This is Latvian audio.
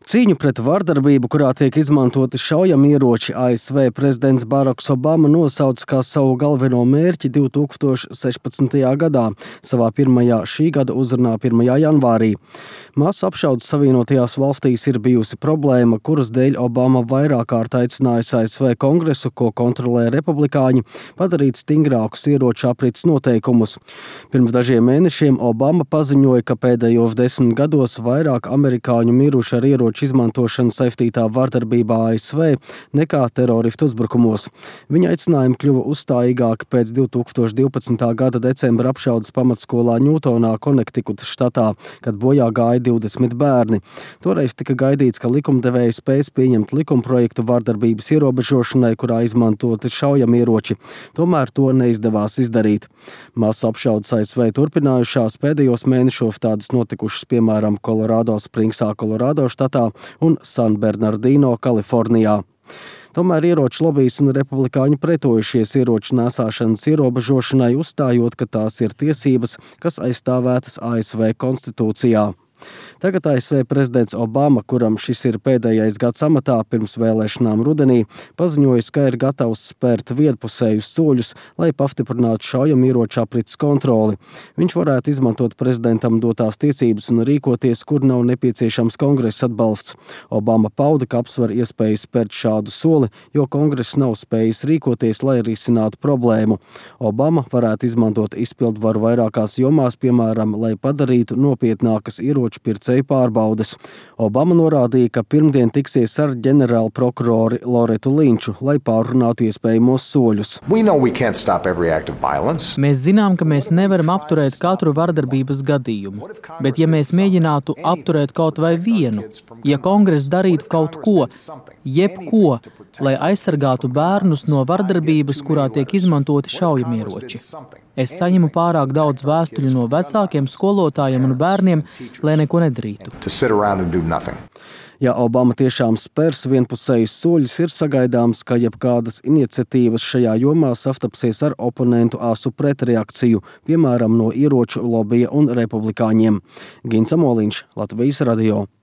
Cīņu pret vardarbību, kurā tiek izmantoti šaujamieroči, ASV prezidents Baraks Obama nosauca kā savu galveno mērķi 2016. gadā, savā pirmajā šī gada uzrunā 1. janvārī. Masu apšaudes Savienotajās valstīs ir bijusi problēma, kuras dēļ Obama vairāk kārt aicinājis ASV kongresu, ko kontrolē republikāņi, padarīt stingrākus ieroču aprits noteikumus. Pirms dažiem mēnešiem Obama paziņoja, ka pēdējos 10 gados vairāk amerikāņu miruši ar ieroču izmantošana saistītā vardarbībā ASV nekā teroristu uzbrukumos. Viņa aicinājumi kļuva uzstājīgāki pēc 2012. gada decembra apšaudes pamatskolā Ņūtonā, Konektikutas štatā, kad bojā gāja 20 bērni. Toreiz tika gaidīts, ka likumdevēji spēs pieņemt likumprojektu vardarbības ierobežošanai, kurā izmantoti šaujamieroči. Tomēr to neizdevās izdarīt. Masu apšaudes ASV turpinājušās, pēdējos mēnešos tādas notikušas piemēram Kolorādo Springsā, Kolorādo štatā un San Bernardino, Kalifornijā. Tomēr ieroču lobijs un republikāņi pretojušies ieroču nēsāšanas ierobežošanai, uzstājot, ka tās ir tiesības, kas aizstāvētas ASV konstitūcijā. Tagad ASV prezidents Obama, kuram šis ir pēdējais gads amatā pirms vēlēšanām rudenī, paziņoja, ka ir gatavs spērt vienpusējus soļus, lai pastiprinātu šaujamieroču aprits kontroli. Viņš varētu izmantot prezidentam dotās tiesības un rīkoties, kur nav nepieciešams kongresa atbalsts. Obama pauda, ka apsver iespēju spērt šādu soli, jo kongress nav spējis rīkoties, lai risinātu problēmu. Obama varētu izmantot izpildvaru vairākās jomās, piemēram, lai padarītu nopietnākas ieroču pircēju pārbaudes. Obama norādīja, ka pirmdien tiksies ar ģenerālu prokurori Loretu Linču, lai pārrunātu iespējamos soļus. Mēs zinām, ka mēs nevaram apturēt katru vardarbības gadījumu, bet ja mēs mēģinātu apturēt kaut vai vienu, ja kongress darītu kaut ko, jebko, lai aizsargātu bērnus no vardarbības, kurā tiek izmantoti šaujamieroči. Es saņemu pārāk daudz vēstuļu no vecākiem, skolotājiem un bērniem, lai neko nedarītu. Ja Obama tiešām spērs vienpusējus soļus, ir sagaidāms, ka jebkādas iniciatīvas šajā jomā sastapsies ar oponentu asu pretreakciju, piemēram, no ieroču lobija un republikāņiem. Gins Amoliņš, Latvijas radio.